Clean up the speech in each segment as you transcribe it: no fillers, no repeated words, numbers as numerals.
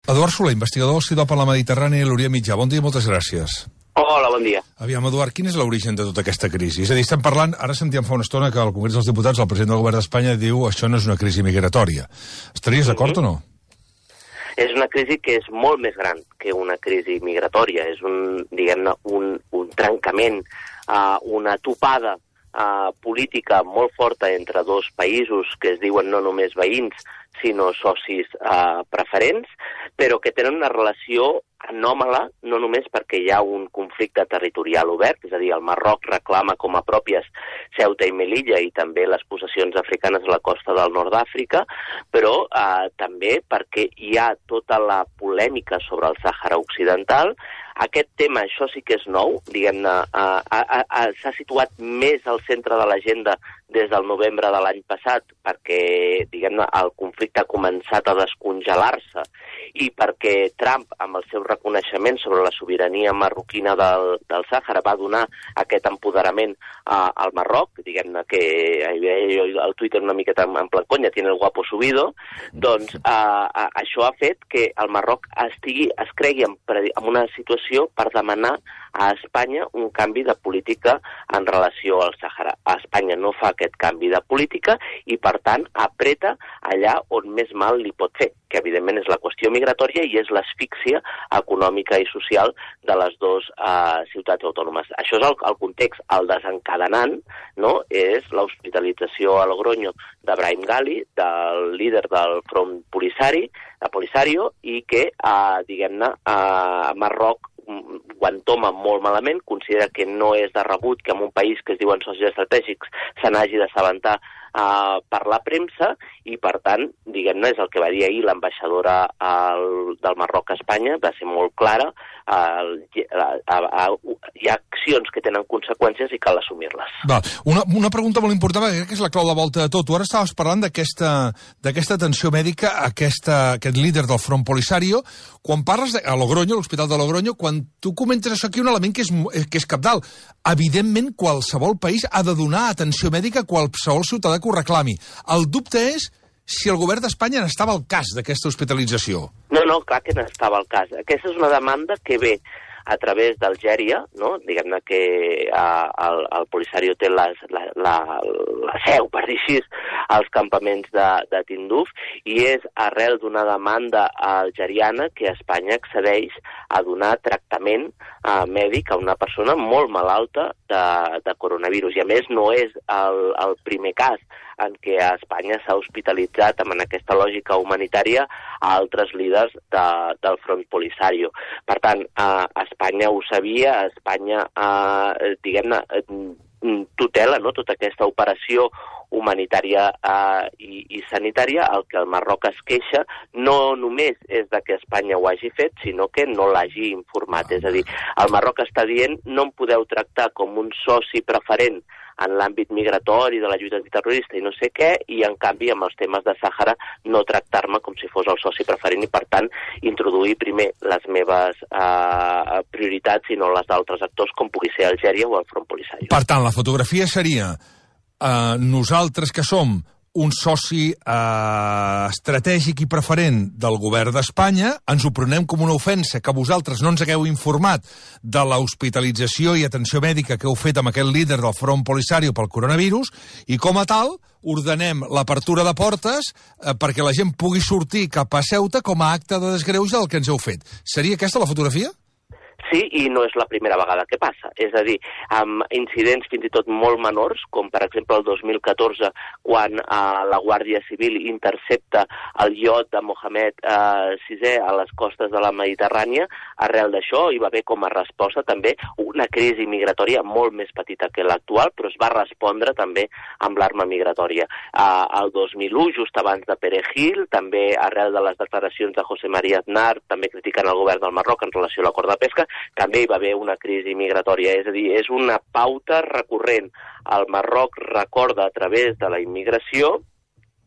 Eduard Soler, investigador del CIDOB a la Mediterrània i l'Orient Mitjà. Bon dia i moltes gràcies. Hola, bon dia. Aviam, Eduard, quin és l'origen de tota aquesta crisi? És a dir, estem parlant, ara sentíem fa una estona que al Congrés dels Diputats el president del govern d'Espanya diu això no és una crisi migratòria. Estaries d'acord o no? És una crisi que és molt més gran que una crisi migratòria. És diguem-ne, un trencament, una topada política molt forta entre dos països que es diuen no només veïns, sinó socis preferents, però que tenen una relació anòmala, no només perquè hi ha un conflicte territorial obert, és a dir, el Marroc reclama com a pròpies Ceuta i Melilla i també les possessions africanes a la costa del nord d'Àfrica, però també perquè hi ha tota la polèmica sobre el Sàhara Occidental. Aquest tema, això sí que és nou, diguem-ne, s'ha situat més al centre de l'agenda des del novembre de l'any passat perquè, diguem-ne, el conflicte ha començat a descongelar-se i perquè Trump, amb el seu reconeixement sobre la sobirania marroquina del Sàhara, va donar aquest empoderament al Marroc, diguem-ne que el Twitter una miqueta en plan conya, tiene el guapo subido, doncs això ha fet que el Marroc es cregui en una situació per demanar a Espanya un canvi de política en relació al Sàhara. Espanya no fa aquest canvi de política i, per tant, apreta allà on més mal li pot fer, que evidentment és la qüestió migratòria i és l'asfíxia econòmica i social de les dues ciutats autònomes. Això és el context. El desencadenant, no, és l'hospitalització a Logroño de Brahim Ghali, del líder del Front Polisario, i que, diguem-ne, Marroc ho entoma molt malament, considera que no és de rebut que en un país que es diuen socis estratègics se n'hagi d'assabentar per la premsa i, per tant, diguem-ne, és el que va dir ahir l'ambaixadora del Marroc a Espanya, va ser molt clara, hi ha accions que tenen conseqüències i cal assumir-les. Una pregunta molt important, perquè crec que és la clau de volta de tot. Tu ara estaves parlant d'aquesta atenció mèdica, aquest líder del Front Polisario. Quan parles a Logroño, l'Hospital de Logroño, quan tu comentes això aquí, un element que és cabdal. Evidentment, qualsevol país ha de donar atenció mèdica a qualsevol ciutadà que ho reclami. El dubte és si el govern d'Espanya n'estava al cas d'aquesta hospitalització. No, clar que n'estava al cas. Aquesta és una demanda que ve a través d'Algèria, no? Diguem-ne que el Polisario té la seu, per dir així, als campaments de Tinduf, i és arrel d'una demanda algeriana que Espanya accedeix a donar tractament mèdic a una persona molt malalta de coronavirus. I a més no és el primer cas en què a Espanya s'ha hospitalitzat en aquesta lògica humanitària a altres líders del Front Polisario. Per tant, Espanya ho sabia, Espanya, diguem-ne, tutela, no?, tota aquesta operació humanitària i sanitària. El que el Marroc es queixa no només és de que Espanya ho hagi fet, sinó que no l'hagi informat. És a dir, el Marroc està dient no em podeu tractar com un soci preferent en l'àmbit migratori de la lluita antiterrorista i no sé què, i en canvi amb els temes de Sàhara no tractar-me com si fos el soci preferent i, per tant, introduir primer les meves prioritats i no les d'altres actors com pugui ser Algèria o el Front Polisario. Per tant, la fotografia seria nosaltres que som un soci estratègic i preferent del govern d'Espanya, ens ho prenem com una ofensa que vosaltres no ens hagueu informat de l'hospitalització i atenció mèdica que heu fet amb aquest líder del Front Polisario pel coronavirus, i com a tal ordenem l'apertura de portes perquè la gent pugui sortir cap a Ceuta com a acte de desgreuge del que ens heu fet. Seria aquesta la fotografia? Sí, i no és la primera vegada que passa. És a dir, amb incidents fins i tot molt menors, com per exemple el 2014, quan la Guàrdia Civil intercepta el iot de Mohamed VI a les costes de la Mediterrània, arrel d'això hi va haver com a resposta també una crisi migratòria molt més petita que l'actual, però es va respondre també amb l'arma migratòria. El 2001, just abans de Perejil, també arrel de les declaracions de José María Aznar, també criticant el govern del Marroc en relació a l'acord de pesca, també hi va haver una crisi migratòria. És a dir, és una pauta recurrent. El Marroc recorda a través de la immigració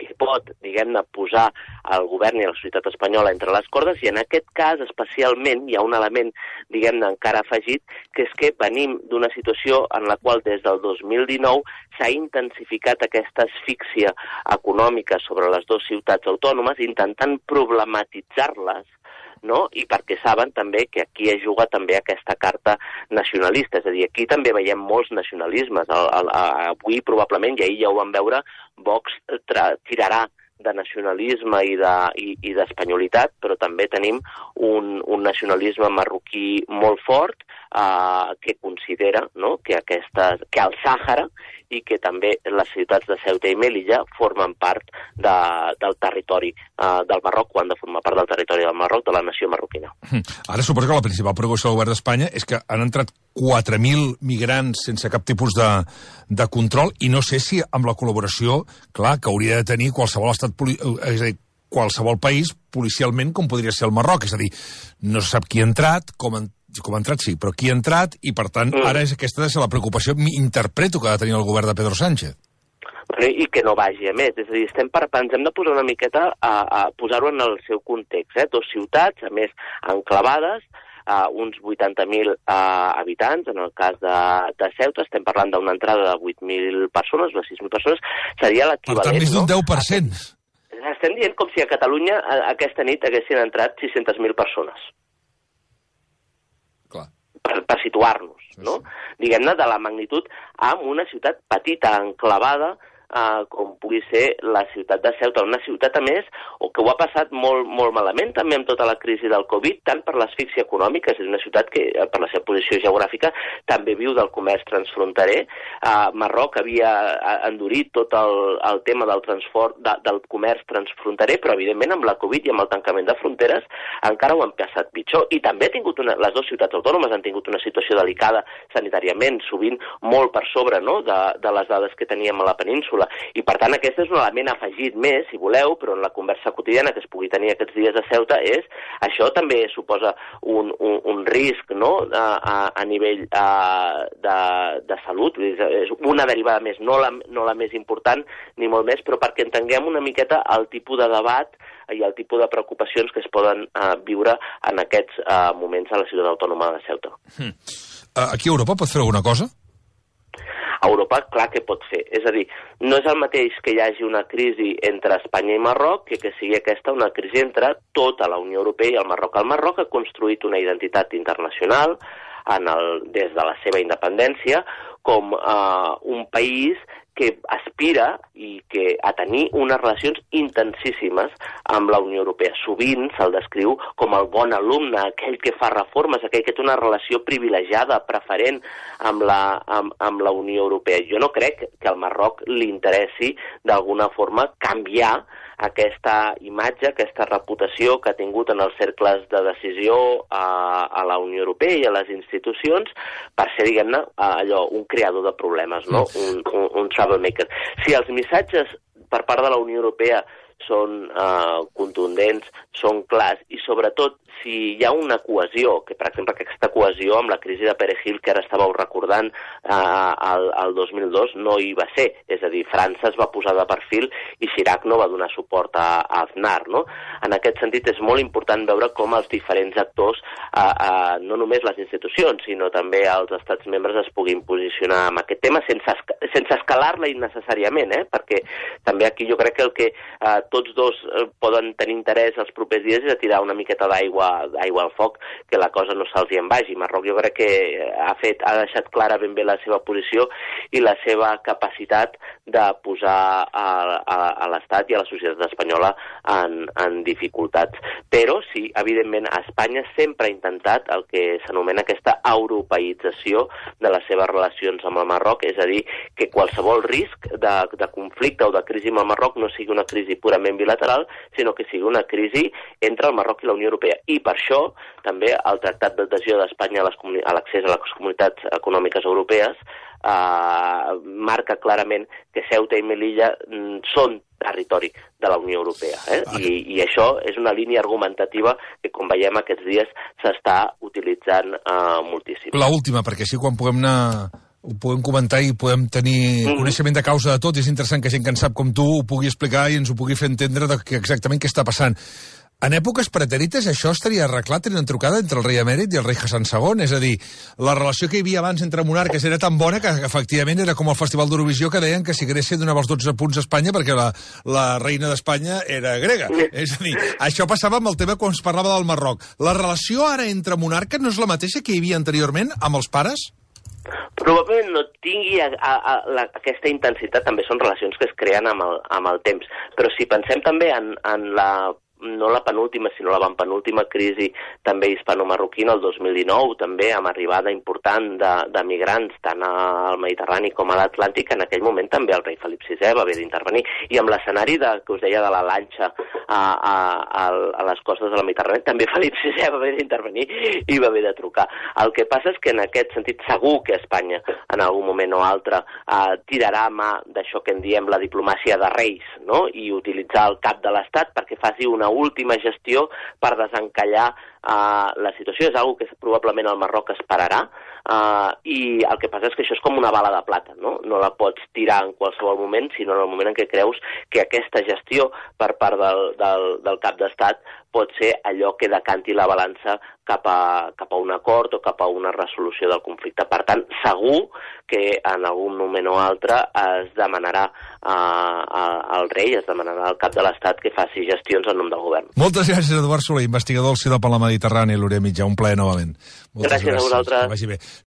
que pot, diguem-ne, posar el govern i la societat espanyola entre les cordes, i en aquest cas especialment hi ha un element, diguem-ne, encara afegit, que és que venim d'una situació en la qual des del 2019 s'ha intensificat aquesta asfíxia econòmica sobre les dues ciutats autònomes, intentant problematitzar-les no? I perquè saben també que aquí es juga també aquesta carta nacionalista, és a dir, aquí també veiem molts nacionalismes. Avui probablement, i ahir ja ho vam veure, Vox tirarà de nacionalisme i d'espanyolitat, però també tenim un nacionalisme marroquí molt fort que considera, no?, que el Sàhara i que també les ciutats de Ceuta i Melilla formen part del territori del Marroc, o han de formar part del territori del Marroc, de la nació marroquina. Ara suposo que la principal preocupació del govern d'Espanya és que han entrat 4.000 migrants sense cap tipus de control, i no sé si amb la col·laboració, clar, que hauria de tenir qualsevol estat, és a dir, qualsevol país policialment com podria ser el Marroc, és a dir, no se sap qui ha entrat, com ha entrat sí, però qui ha entrat, i per tant ara és aquesta la preocupació, interpreto, que ha de tenir el govern de Pedro Sánchez. I que no vagi a més, és a dir, ens hem de posar una miqueta a posar-ho en el seu context, dos ciutats, a més, enclavades, uns 80.000 habitants, en el cas de Ceuta estem parlant d'una entrada de 8.000 persones, o 6.000 persones, seria l'equivalent... Per tant, més d'un 10%. Estem dient com si a Catalunya aquesta nit haguessin entrat 600.000 persones. Clar. Per situar-nos, no? Diguem-ne, de la magnitud amb una ciutat petita, enclavada, com pugui ser la ciutat de Ceuta, una ciutat, a més, que ho ha passat molt, molt malament també amb tota la crisi del Covid, tant per l'asfíxia econòmica, és una ciutat que, per la seva posició geogràfica, també viu del comerç transfronterer. Marroc havia endurit tot el tema del comerç transfronterer, però, evidentment, amb la Covid i amb el tancament de fronteres encara ho han passat pitjor. I també les dues ciutats autònomes han tingut una situació delicada sanitàriament, sovint molt per sobre, no?, de les dades que teníem a la península. I, per tant, aquest és un element afegit més, si voleu, però en la conversa quotidiana que es pugui tenir aquests dies a Ceuta això també suposa un risc, no?, a nivell de salut. És una derivada més, no la més important, ni molt més, però perquè entenguem una miqueta el tipus de debat i el tipus de preocupacions que es poden viure en aquests moments a la ciutat autònoma de Ceuta. Aquí a Europa pot fer alguna cosa? A Europa, clar que pot fer. És a dir, no és el mateix que hi hagi una crisi entre Espanya i Marroc que sigui aquesta una crisi entre tota la Unió Europea i el Marroc. El Marroc ha construït una identitat internacional des de la seva independència com un país que aspira a tenir unes relacions intensíssimes amb la Unió Europea. Sovint se'l descriu com el bon alumne, aquell que fa reformes, aquell que té una relació privilegiada, preferent amb la Unió Europea. Jo no crec que al Marroc li interessi d'alguna forma canviar aquesta imatge, aquesta reputació que ha tingut en els cercles de decisió a la Unió Europea i a les institucions per ser, diguem-ne, un creador de problemes, no? Un troublemaker. Si els missatges per part de la Unió Europea són contundents, són clars, i sobretot si hi ha una cohesió, que per exemple aquesta cohesió amb la crisi de Perejil que ara estàveu recordant el 2002 no hi va ser, és a dir, França es va posar de perfil i Chirac no va donar suport a Aznar, no? En aquest sentit és molt important veure com els diferents actors, no només les institucions, sinó també els estats membres es puguin posicionar en aquest tema sense escalar-la innecessàriament, perquè també aquí jo crec que el que tots dos poden tenir interès els propers dies és a tirar una miqueta d'aigua al foc, que la cosa no se'ls hi en vagi. Marroc jo crec que ha deixat clara ben bé la seva posició i la seva capacitat de posar a l'Estat i a la societat espanyola en dificultats. Però sí, evidentment, Espanya sempre ha intentat el que s'anomena aquesta europeïtzació de les seves relacions amb el Marroc, és a dir, que qualsevol risc de conflicte o de crisi amb el Marroc no sigui una crisi purament bilateral, sinó que sigui una crisi entre el Marroc i la Unió Europea. I per això també el Tractat d'Adhesió d'Espanya a l'accés a les comunitats econòmiques europees marca clarament que Ceuta i Melilla són territori de la Unió Europea. I això és una línia argumentativa que, com veiem aquests dies, s'està utilitzant moltíssim. L'última, perquè així quan puguem anar... ho podem comentar i podem tenir coneixement de causa de tot. És interessant que gent que en sap com tu ho pugui explicar i ens ho pugui fer entendre exactament què està passant. En èpoques pretèrites això estaria arreglat en una trucada entre el rei emèrit i el rei Hassan II, és a dir, la relació que hi havia abans entre monarques era tan bona que efectivament era com el Festival d'Eurovisió que deien que si Grècia donava els 12 punts a Espanya perquè la reina d'Espanya era grega. És a dir, això passava amb el tema quan es parlava del Marroc. La relació ara entre monarques no és la mateixa que hi havia anteriorment amb els pares? Probablement no tingui aquesta intensitat, també són relacions que es creen amb el temps. Però si pensem també en no la penúltima, sinó la penúltima crisi també hispano-marroquina, el 2019, també amb arribada important de migrants tant al Mediterrani com a l'Atlàntic, en aquell moment també el rei Felip VI va haver d'intervenir. I amb l'escenari que us deia de la lanxa a les costes de la Mediterrani, també Felip VI va haver d'intervenir i va haver de trucar. El que passa és que en aquest sentit segur que Espanya en algun moment o altre tirarà mà d'això que en diem la diplomàcia de reis, no? I utilitzar el cap de l'Estat perquè faci una última gestió per desencallar la situació. És una cosa que probablement el Marroc esperarà, i el que passa és que això és com una bala de plata, no? No la pots tirar en qualsevol moment, sinó en el moment en què creus que aquesta gestió per part del cap d'estat pot ser allò que decanti la balança cap a un acord o cap a una resolució del conflicte. Per tant, segur que en algun moment o altre es demanarà al rei, es demanarà al cap de l'Estat que faci gestions en nom del govern. Moltes gràcies, Eduard Soler, investigador del CIDOP a la Mediterrània, l'Orient Mitjà. Un plaer novament. Gràcies a vosaltres. Que vagi bé.